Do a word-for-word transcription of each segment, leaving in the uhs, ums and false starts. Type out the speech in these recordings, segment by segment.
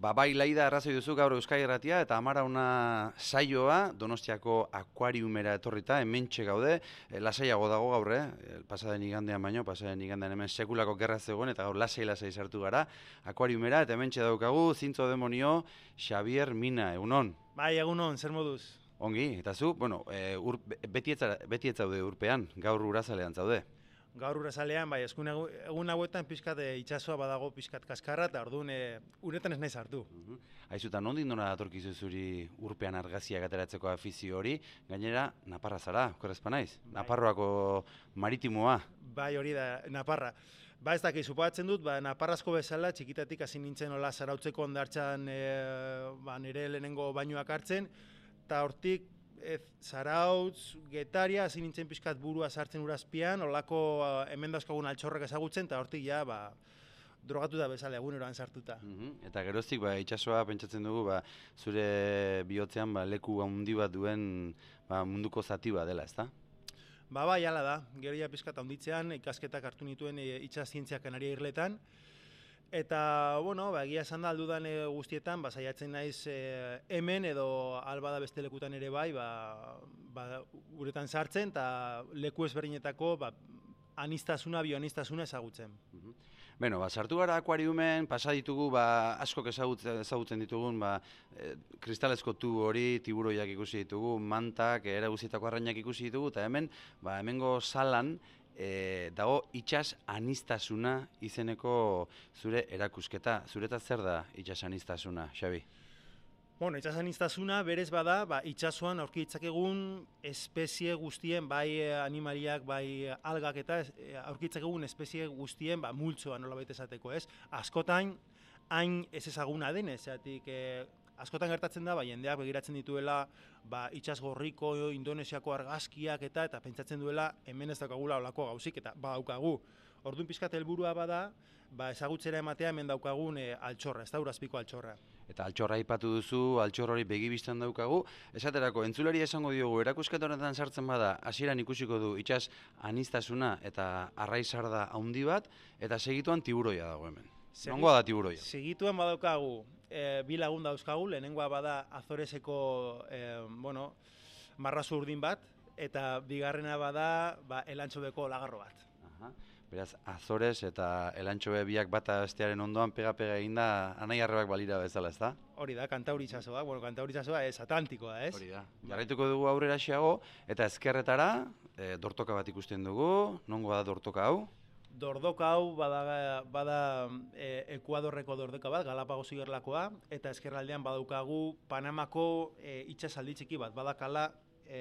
Ba, bai, Laida arrazoi duzu gaur Euskadi Irratia eta Amarauna saioa Donostiako akuariumera etorrita, hementxe gaude, e, lasaiago dago gaur, eh? Pasaden igandean baino, pasaden igandean hemen sekulako gerra zegoen eta gaur lasai-lasai sartu gara akuariumera eta hementxe daukagu Zintzo demonio Xabier Mina, egunon? Bai, egunon, zer moduz? Ongi, eta zu, bueno, e, ur, beti, etza, beti ez zaude urpean, gaur urazalean zaude. Gaur urazalean, bai, eskun egun hauetan pixkat e, itxasoa badago pixkat kaskarra, eta orduan e, uretan ez nahi sartu. Uh -huh. Aizuta, nondik nora datorkizu zuri urpean argaziak ateratzeko afizio hori, gainera, Naparra zara, okerrezpa naiz? Bai. Naparroako maritimoa. Bai, hori da, Naparra. Ba, ez dakit, suposatzen dut, ba, Naparrazko bezala, txikitatik hasi nintzen hola zarautzeko ondartzan e, ba, nire lehenengo bainoak hartzen, eta hortik, Ez, Zarautz, Getaria, hasi nintzen pixkat burua sartzen urazpian, olako uh, hemen dauzkagun altxorrak ezagutzen, eta hortik ja, ba, drogatu da bezala eguneroan sartuta. Uh -huh. Eta geroztik, ba, itsasoa pentsatzen dugu, ba, zure bihotzean ba, leku handi bat duen ba, munduko zati bat dela, ezta? Ba, bai, hala da, gero ja pixkat handitzean, ikasketak hartu nituen e, itsas zientziak Kanaria irletan, eta, bueno, ba, egia esan da aldudan e, guztietan, ba, saiatzen naiz e, hemen edo albada beste lekutan ere bai, ba, ba, uretan sartzen, eta leku ezberdinetako ba, anistasuna, bioanistasuna ezagutzen. Uh -huh. Beno, ba, sartu gara akuariumen, pasa ditugu, ba, askok ezagutzen, ezagutzen ditugun, ba, e, kristalezko tubo hori, tiburoiak ikusi ditugu, mantak, era guztietako arrainak ikusi ditugu, eta hemen, ba, hemengo salan, E, dago itsas anistasuna izeneko zure erakusketa. Zuretzat zer da itsas anistasuna, Xabi? Bueno, itsas anistasuna berez bada, ba, itsasoan aurki ditzakegun espezie guztien, bai animaliak, bai algak eta aurki ditzakegun espezie guztien ba, multzoa nolabait esateko, ez? Askotan, hain ez ezaguna denez, zeatik, e, askotan gertatzen da, ba, jendeak begiratzen dituela ba, itsas gorriko, Indonesiako argazkiak eta eta pentsatzen duela hemen ez daukagula olako gauzik eta badaukagu. Orduan pixkat helburua bada, ba, ezagutzera ematea hemen daukagun e, altxorra, ez da urazpiko altxorra. Eta altxorra aipatu duzu, altxor hori begibistan daukagu. Esaterako, entzulari esango diogu, erakusketa honetan sartzen bada, hasieran ikusiko du itsas anistasuna eta arraizarda handi bat, eta segituan tiburoia dago hemen. Nongoa da tiburoia? Segituan badaukagu, e, bi lagun dauzkagu, lehenengoa bada Azoreseko e, bueno, marrazu urdin bat, eta bigarrena bada ba, elantxobeko lagarro bat. Aha. Beraz, Azores eta elantxobe biak bata bestearen ondoan pega-pega eginda anai arrebak balira bezala, ez da? Hori da, Kantauri itsasoa, bueno, Kantauri itsasoa ez Atlantikoa, ez? Hori da. Jarraituko dugu aurrera xeago, eta ezkerretara, e, dortoka bat ikusten dugu, nongoa da dortoka hau? Dordoka hau bada, bada e, Ekuadorreko dordoka bat, Galapagos igerlakoa, eta ezkerraldean badaukagu Panamako e, itsasaldi txiki bat, badakala e,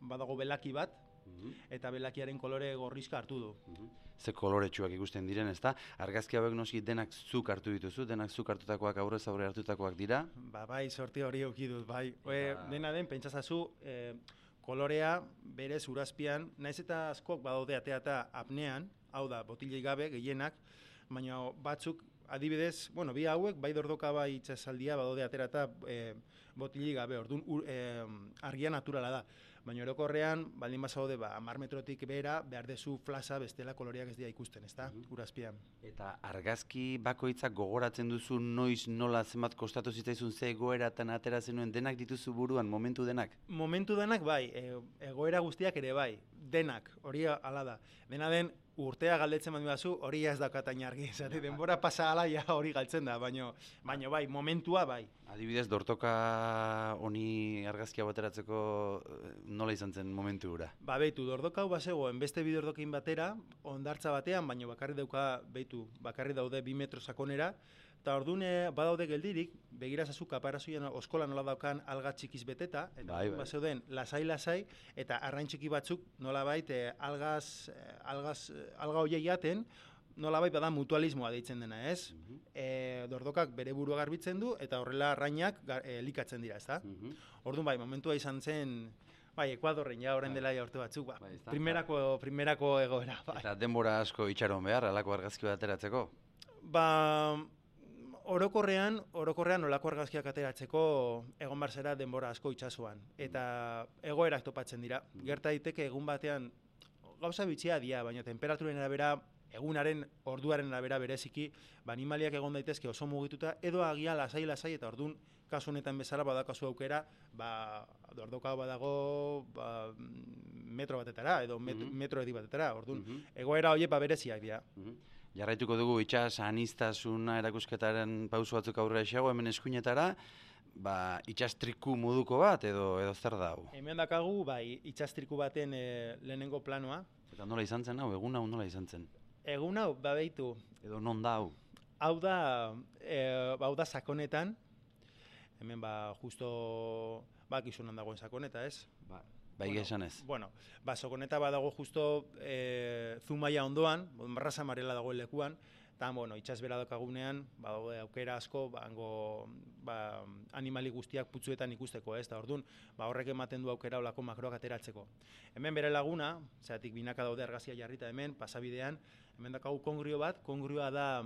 badago belaki bat, uh-huh. eta belakiaren kolore gorrizka hartu du. Uh-huh. Ze koloretsuak ikusten diren, ezta? Argazki hauek noski denak zuk hartu dituzu, denak zuk hartutakoak aurrez aurre hartutakoak dira? Ba, bai, sorti hori eduki dut, bai. E, dena den, pentsazazu, e, kolorea berez urazpian, naiz eta askok badaude atea eta apnean, hau da, botilei gabe, gehienak, baina batzuk, adibidez, bueno, bi hauek, bai dordoka bai itsasaldia badaude atera eta e, botilei gabe, orduan e, argia naturala da. Baina orokorrean, baldin bazaude, ba, hamar metrotik behera, behar dezu flasa bestela koloreak ez dira ikusten, ezta, uh-huh. urazpian. Eta argazki bakoitzak gogoratzen duzu noiz nola zenbat kostatu zitzaizun ze egoeratan atera zenuen denak dituzu buruan, momentu denak? Momentu denak bai, e, egoera guztiak ere bai, denak, hori hala da. Dena den, urtea galdetzen badu bazu, hori ez daukatain argi, zati, denbora pasa ala ja hori galtzen da, baina baino, bai, momentua bai. Adibidez, dortoka honi argazkia bateratzeko nola izan zen momentu hura? Ba, beitu, dordoka hau bazegoen beste bi dordokin batera, ondartza batean, baina bakarri dauka, beitu, bakarri daude bi metro sakonera, eta orduan badaude geldirik, begirazazu kaparazoian oskola nola daukan alga txikiz beteta, eta bai, bai. Bazeuden lasai-lasai, eta arrain txiki batzuk nolabait eh, algaz, eh, algaz, eh, alga hoiei jaten, nolabait bada mutualismoa deitzen dena, ez? Uh-huh. e, dordokak bere burua garbitzen du, eta horrela arrainak e, elikatzen dira, ezta? Uh-huh. Orduan bai, momentua izan zen, bai, Ekuadorren ja, orain dela ja urte batzuk, ba, bai, primerako, primerako egoera. Bai. Eta denbora asko itxaron behar, alako argazki bat ateratzeko? Ba, orokorrean, orokorrean olako argazkiak ateratzeko egon bar zera denbora asko itsasoan, eta egoerak topatzen dira. Gerta daiteke egun batean, gauza bitxia dia, baina temperaturen arabera egunaren orduaren arabera bereziki, ba, animaliak egon daitezke oso mugituta, edo agia lasai-lasai, eta ordun kasu honetan bezala badakazu aukera, ba, ordokau badago ba, metro batetara, edo met, Mhm. metro edi batetara, ordun Mhm. egoera horiek ba, bereziak dira. Mhm. Jarraituko dugu itsas aniztasuna erakusketaren pauso batzuk aurrera esago hemen eskuinetara, ba, itsas triku moduko bat edo edo zer da hau? Hemen dakagu, bai, itsastriku baten e, lehenengo planoa. Eta nola izan zen hau, egun hau nola izan zen? Egun hau, babeitu, Edo non da hau? hau da, e, hau da sakonetan, hemen ba, justo, ba, kizunan dagoen sakoneta, ez? Ba, bai Bueno, esan ez. Bueno, ba, sakoneta badago justo e, Zumaia ondoan, Marrasa Marela dagoen lekuan, eta, bueno, itsas bera daukagunean, badaude aukera asko, ba, hango, ba, animali guztiak putzuetan ikusteko, ez? Eta ordun, ba, horrek ematen du aukera olako makroak ateratzeko. Hemen bere laguna, zeratik binaka daude argazia jarrita hemen, pasabidean, hemen dakagu kongrio bat, kongrioa da,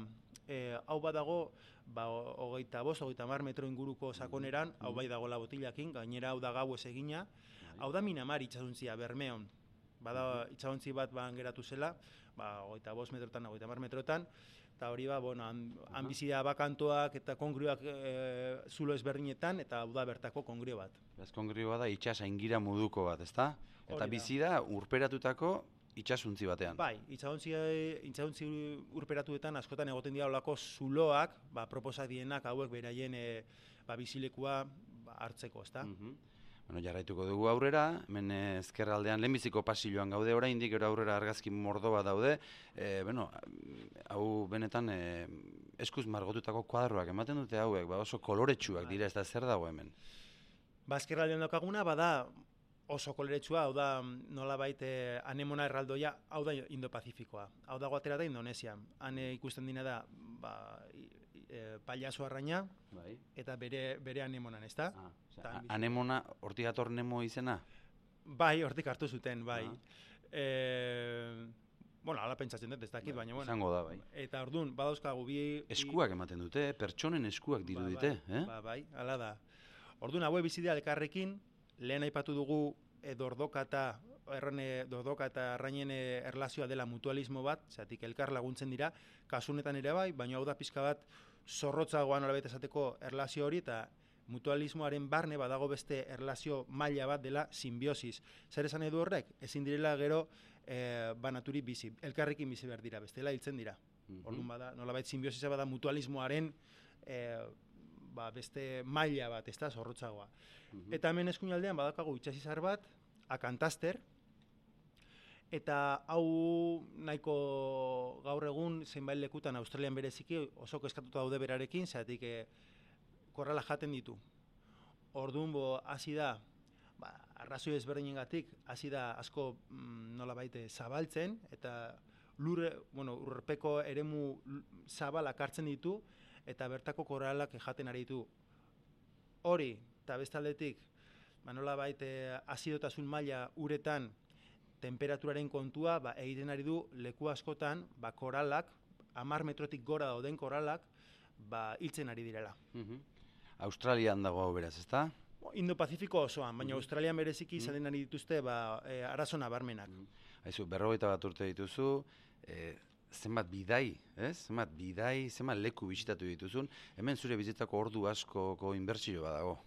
e, hau badago, ba, hogeita bost, hogeita hamar metro inguruko sakoneran, hau bai dagoela botilakin, gainera hau da gau ez egina, hau da Minamar itxasontzia, Bermeon. Bada itxasontzi bat ban geratu zela, ba, hogeita bost metrotan, hogeita hamar metrotan, eta hori ba, bueno, han, han bizi da bakantoak eta kongrioak e, zulo ezberdinetan, eta hau da bertako kongrio bat. Beraz kongrioa da itsas aingira moduko bat, ezta? Eta Hori da. bizi da urperatutako itsasuntzi batean. Bai, itxasontzi, itxasontzi urperatuetan askotan egoten dira olako zuloak, ba, proposak dienak hauek beraien e, ba, bizilekua ba, hartzeko, ezta? Mhm. Bueno, jarraituko dugu aurrera, hemen eh, ezkerraldean lehenbiziko pasilloan gaude oraindik, gero aurrera argazki mordo bat daude. E, bueno, hau benetan e, eskuz margotutako kuadroak ematen dute hauek, ba oso koloretsuak dira, ez da zer dago hemen. Bazkerraldean daukaguna, bada oso koloretsua, hau da nolabait e, anemona erraldoia, hau da Indo-Pazifikoa. Hau dago atera da Indonesian. Han e, ikusten dina da, ba, e, pailazo arraina, Bai. eta bere, bere anemonan, ezta? Ah, osea, Eta han bizi- anemona, hortik dator Nemo izena? Bai, hortik hartu zuten, bai. Ah. E, bueno, hala pentsatzen dut, ez dakit, baina, bueno. Izango da, bai. Eta orduan, badauzkagu bi... bi- Eskuak ematen dute, pertsonen eskuak dirudite, ba, bai, eh? Ba, bai, hala da. Orduan, haue bizi dira elkarrekin, lehen aipatu dugu e, dordoka eta errane dordoka eta arrainen e, erlazioa dela mutualismo bat, zatik elkar laguntzen dira, kasunetan ere bai, baina hau da pizka bat zorrotzagoan nolabait esateko erlazio hori, eta mutualismoaren barne badago beste erlazio maila bat dela simbiosis. Zer esan edu horrek? Ezin direla gero e, banaturi bizi, elkarrekin bizi behar dira, bestela hiltzen dira. Mhm. Orduan bada, nolabait simbiosisa bada mutualismoaren e, ba, beste maila bat, ez da, zorrotzagoa. Mhm. Eta hemen eskuinaldean badakagu itsasizar bat, akantaster, eta hau nahiko gaur egun zenbait lekutan Australian bereziki oso kezkatuta daude berarekin, zeratik e, korrala jaten ditu. Orduan bo hasi da, ba, arrazoi ezberdinengatik hasi da asko mm, nolabait zabaltzen, eta lurre, bueno, urpeko eremu zabalak hartzen ditu, eta bertako koralak jaten ari ditu. Hori, eta bestaldetik, ba, nolabait e, azidotasun maila uretan temperaturaren kontua ba, egiten ari du leku askotan ba, koralak, hamar metrotik gora dauden koralak, ba, hiltzen ari direla. Mhm. Australian dago hau beraz, ezta? Indo-Pazifiko osoan, baina Mhm. Australian bereziki izaten ari dituzte ba, e, arazo nabarmenak. Haizu, berrogeita bat urte dituzu, e, zenbat bidai, ez? Zenbat bidai, zenbat leku bisitatu dituzun, hemen zure bizitako ordu askoko inbertsio badago.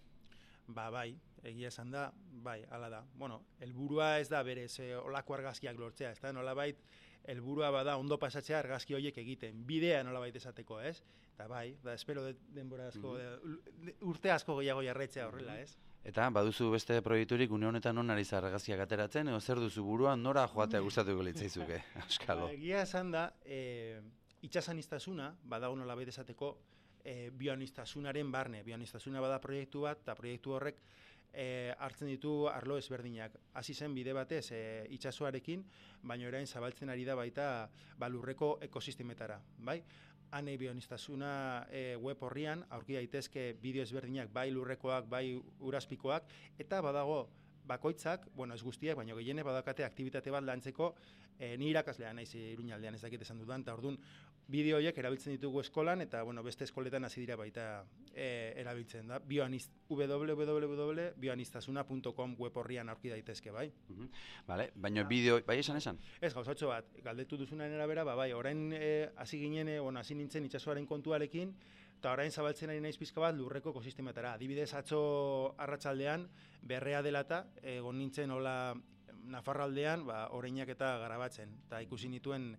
Ba, bai, egia esan da, bai, hala da. Bueno, helburua ez da berez e, olako argazkiak lortzea, ez da, nolabait, helburua bada ondo pasatzea argazki horiek egiten, bidea nolabait esateko, ez? Eta bai, da, espero de, denbora asko, de, urte asko gehiago jarraitzea horrela, ez? Eta baduzu beste proiekturik une honetan non ari zara argazkiak ateratzen, edo zer duzu buruan, nora joatea gustatuko litzaizuke, Auskalo. Ba, egia esan da, e, itxasaniztasuna, badago nolabait esateko, e, bioanistasunaren barne. Bioanistasuna bada proiektu bat, eta proiektu horrek e, hartzen ditu arlo ezberdinak. Hasi zen bide batez e, itsasoarekin, baina orain zabaltzen ari da baita ba, lurreko ekosistemetara, bai? Hane bioanistasuna e, web horrian aurki daitezke bideo ezberdinak, bai lurrekoak, bai urazpikoak, eta badago bakoitzak, bueno, ez guztiak, baina gehiene badakate aktibitate bat lantzeko, e, ni irakaslea naiz Iruñaldean ez dakit esan dudan, eta orduan bideo horiek erabiltzen ditugu eskolan, eta bueno, beste eskoletan hasi dira baita e, erabiltzen da. Bioaniz, w w w puntu bioaniztasuna puntu com web horrian aurki daitezke, bai. Uh-huh. Vale, baina bideo, bai esan esan? Ez, gauzatxo bat, galdetu duzunaren arabera, ba, bai, orain hasi e, ginen, e, bueno, hasi nintzen itsasoaren kontuarekin, eta orain zabaltzen ari naiz pizka bat lurreko ekosistemetara. Adibidez, atzo arratsaldean berrea delata, egon nintzen hola Nafarraldean, ba, oreinak eta garabatzen, eta ikusi nituen,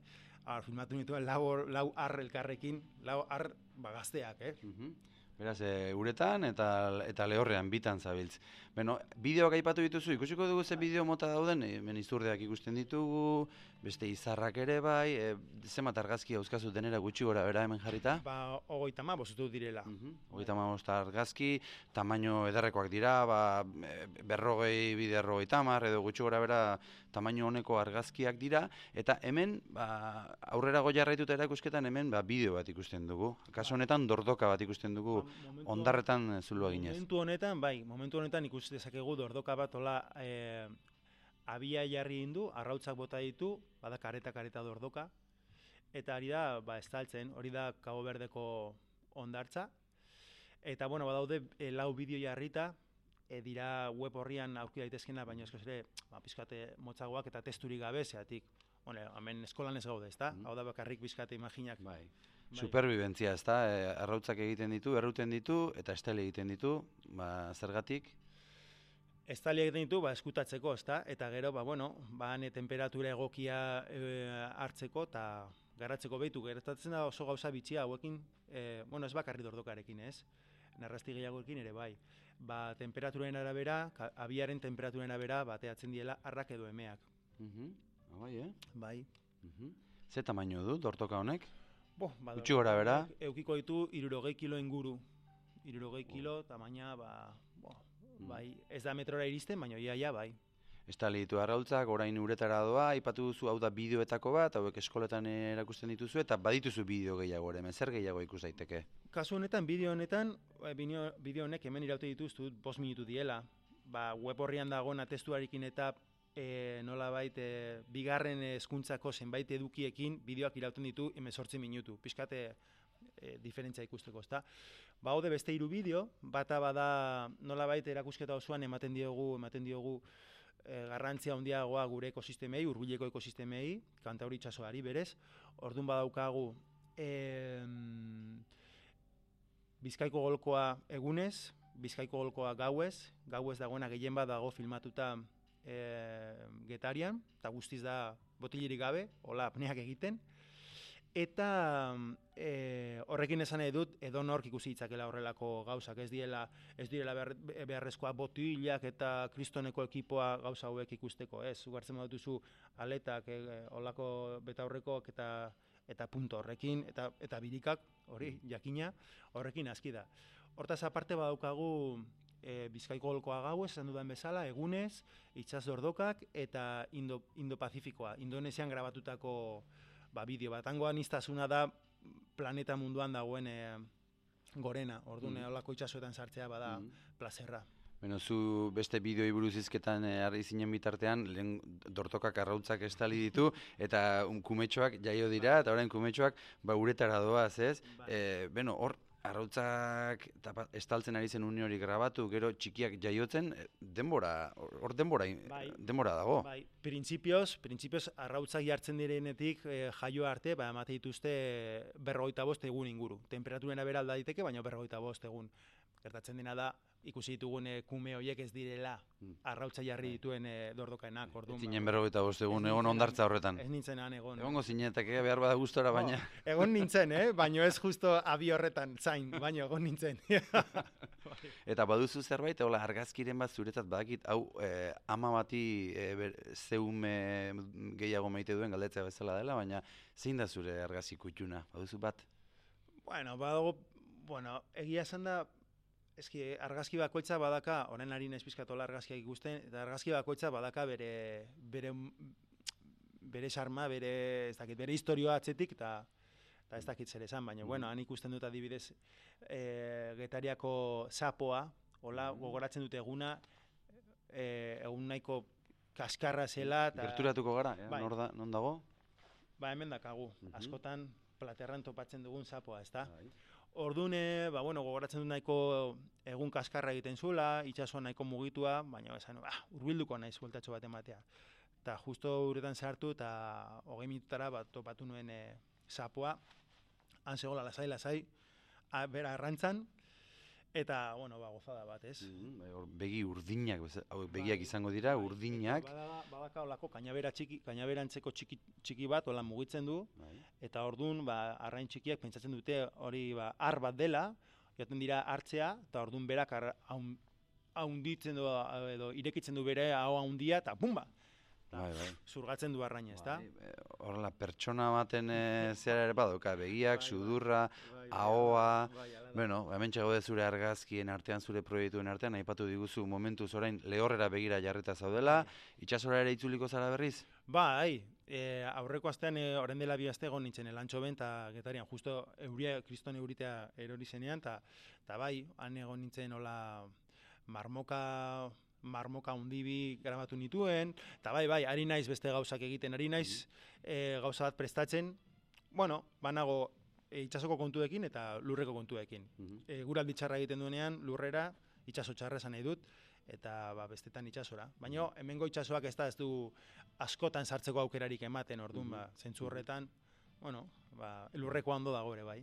ar, filmatu nituen lau, lau ar elkarrekin, lau ar ba, gazteak, eh? Uh-huh. Beraz, e, uretan eta, eta lehorrean bitan zabiltz. Beno, bideoak aipatu dituzu, ikusiko dugu ze bideo mota dauden, hemen izurdeak ikusten ditugu, beste izarrak ere bai, e, zenbat argazki hauzkazu denera gutxi gora bera hemen jarrita? Ba, hogeita hamabost dut direla. Uh-huh. Hogeita hamabost argazki, tamaino ederrekoak dira, ba, berrogei biderrogei tamar, edo gutxi gora bera tamaino honeko argazkiak dira, eta hemen, ba, aurrera goiarraituta erakusketan hemen, ba, bideo bat ikusten dugu. Kaso honetan, dordoka bat ikusten dugu, ba, ondarretan zulua ginez. Momentu honetan, bai, momentu honetan ikusten dezakegu dordoka bat hola e, abia jarri indu, arrautzak bota ditu, bada kareta kareta dordoka, eta hori da, ba, estaltzen, hori da Cabo Verdeko ondartza, eta, bueno, badaude e, lau bideo jarrita, e, dira web horrian aurki daitezkena, baina eskoz ere, ba, pizkate motzagoak eta testurik gabe, zeatik, bueno, hemen eskolan ez gaude, ezta? Mm. Hau da bakarrik pizkate imaginak. Bai. Bai. Superbibentzia, ezta? E, arrautzak egiten ditu, erruten ditu, eta estali egiten ditu, ba, zergatik? Estali egiten ditu, ba, eskutatzeko, ezta? Eta gero, ba, bueno, ba, ne temperatura egokia e, hartzeko, eta garatzeko behitu. Gertatzen da oso gauza bitxia hauekin, e, bueno, ez bakarri dordokarekin, ez? Narrasti gehiagoekin ere, bai. Ba, temperaturen arabera, abiaren temperaturen arabera, bateatzen diela arrak edo emeak. Uh-huh. Bai, eh? Bai. Uh-huh. Ze tamaino du, dortoka honek? Bo, ba, gutxi gora bera? Eukiko ditu hirurogei kilo inguru. Hirurogei kilo, tamaina, ba, bo, mm. bai, ez da metrora iristen, baina ia, ia, bai. Estali ditu arrautzak, orain uretara doa, aipatu duzu hau da bideoetako bat, hauek eskoletan erakusten dituzu, eta badituzu bideo gehiago ere, zer gehiago ikus daiteke? Kasu honetan, bideo honetan, bideo honek hemen iraute dituztu, bost minutu diela, ba, web horrian dagoen atestuarekin eta e, nolabait e, bigarren hezkuntzako zenbait edukiekin bideoak irauten ditu hemezortzi minutu, pixkate e, diferentzia ikusteko, ezta? Ba, haude beste hiru bideo, bata bada nolabait erakusketa osoan ematen diogu, ematen diogu e, garrantzia handiagoa gure ekosistemei, hurbileko ekosistemei, Kantauri itsasoari berez. Ordun badaukagu e, Bizkaiko golkoa egunez, Bizkaiko golkoa gauez, gauez dagoena gehien bat dago filmatuta e, Getarian, eta guztiz da botilirik gabe, hola apneak egiten. Eta e, horrekin esan nahi dut, edo nork ikusi ditzakela horrelako gauzak, ez direla, ez direla behar, beharrezkoa botilak eta kristoneko ekipoa gauza hauek ikusteko, ez? Zugartzen baduzu aletak, e, holako betaurrekoak eta eta punto horrekin, eta, eta birikak, hori, jakina, horrekin aski da. Hortaz aparte badaukagu e, Bizkaiko golkoa gauez, esan dudan bezala, egunez, itsas dordokak eta Indo, Indo-Pazifikoa, Indonesian grabatutako ba, bideo bat. Hango aniztasuna da planeta munduan dagoen e, gorena, orduan mm. holako itsasoetan sartzea bada mm. plazerra. Beno, zu beste bideoi buruz izketan harri zinen bitartean, lehen dortokak arrautzak estali ditu, eta um, kumetxoak jaio dira, eta orain kumetxoak ba, uretara doaz, ez? Bai. E, beno, hor, arrautzak tapa, estaltzen ari zen une hori grabatu, gero txikiak jaiotzen, denbora, hor denbora, bai. denbora dago. Bai, printzipioz, printzipioz arrautzak jartzen direnetik e, jaio arte, ba, emate dituzte berrogeita bost egun inguru. Temperaturena bera alda diteke, baina berrogeita bost egun. Gertatzen dena da, ikusi ditugun e, kume horiek ez direla arrautza jarri dituen e, dordokaenak. Ez zinen berrogeita bost egun egon ondartza horretan. Ez nintzen han egon. Egongo zinetak, eh, behar bada gustora, baina. Oh, egon nintzen, eh? baina ez justo abi horretan, zain, baina egon nintzen. Eta baduzu zerbait, hola, argazkiren bat zuretzat badakit, hau eh, ama bati eh, zeume gehiago maite duen galdetzea bezala dela, baina zein da zure argazki kutxuna, baduzu bat? Bueno, badago, bueno, egia esan da, eski argazki bakoitza badaka, orain ari naiz pizkatola argazkiak ikusten, eta argazki bakoitza badaka bere bere bere xarma, bere ez dakit, bere historia atzetik eta eta ez dakit zer esan, baina mm. bueno, han ikusten dut adibidez e, Getariako sapoa, hola gogoratzen dute eguna, e, egun nahiko kaskarra zela. Ta, Gerturatuko gara, eh? bai. Nor da, non dago? Ba, hemen dakagu, Mhm. askotan platerran topatzen dugun zapoa, ezta? Bai. Ordune, ba, bueno, gogoratzen dut nahiko egun kaskarra egiten zuela, itsasoa nahiko mugitua, baina esan, bah, urbilduko naiz bueltatxo bat ematea. Eta justo uretan sartu eta hogei minutara bat topatu nuen e, zapoa, han zegoela lasai, lasai, a, bera arrantzan, eta, bueno, ba, gozada bat, ez? Mhm, bai, hor begi urdinak, beza- hauek begiak izango dira, urdinak. Bada, badaka olako kainabera txiki, kainaberantzeko txiki, txiki bat, hola mugitzen du, Bai. eta ordun ba, arrain txikiak pentsatzen dute hori ba, ar bat dela, joaten dira hartzea, eta ordun berak ar, haun, haunditzen du, edo irekitzen du bere hau handia, eta bumba! Bai, bai. Zurgatzen du arraina, ezta? Bai, e, horrela, pertsona baten e, zera ere badauka, begiak, Bai, bai. sudurra, Bai, ahoa, bai, hala da. bueno, hemen txagode zure argazkien artean, zure proiektuen artean, aipatu diguzu momentuz orain lehorrera begira jarrita zaudela, itsasora ere itzuliko zara berriz? Bai, e, aurreko astean, e, orain dela bi aste egon nintzen elantxo ben, eta getarian, justo euria, kriston euritea erori zenean, eta bai, han egon nintzen hola marmoka, marmoka hundibi grabatu nituen, eta bai, bai, ari naiz beste gauzak egiten, ari naiz e, gauza bat prestatzen, bueno, banago e, itsasoko kontuekin eta lurreko kontuekin. Mhm. E, guraldi txarra egiten duenean, lurrera, itsaso txarra esan nahi dut, eta ba, bestetan itsasora. Baina hemengo itsasoak ez da ez du askotan sartzeko aukerarik ematen, orduan, ba, zentzu horretan, bueno, ba, lurreko ondo dago ere, bai.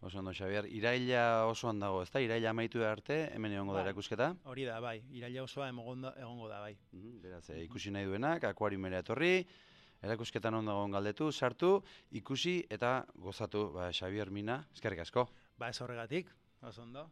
Oso ondo, Xabier, iraila oso ondo dago, ezta? Iraila amaitu arte, hemen egongo da Bai. erakusketa? Hori da, bai, iraila osoa egongo egongo da, bai. Mhm, beraz, e, ikusi nahi duenak, akuariumera etorri, erakusketan ondo dagoen galdetu, sartu, ikusi eta gozatu, ba, Xabier Mina, eskerrik asko. Ba, ez horregatik, oso ondo.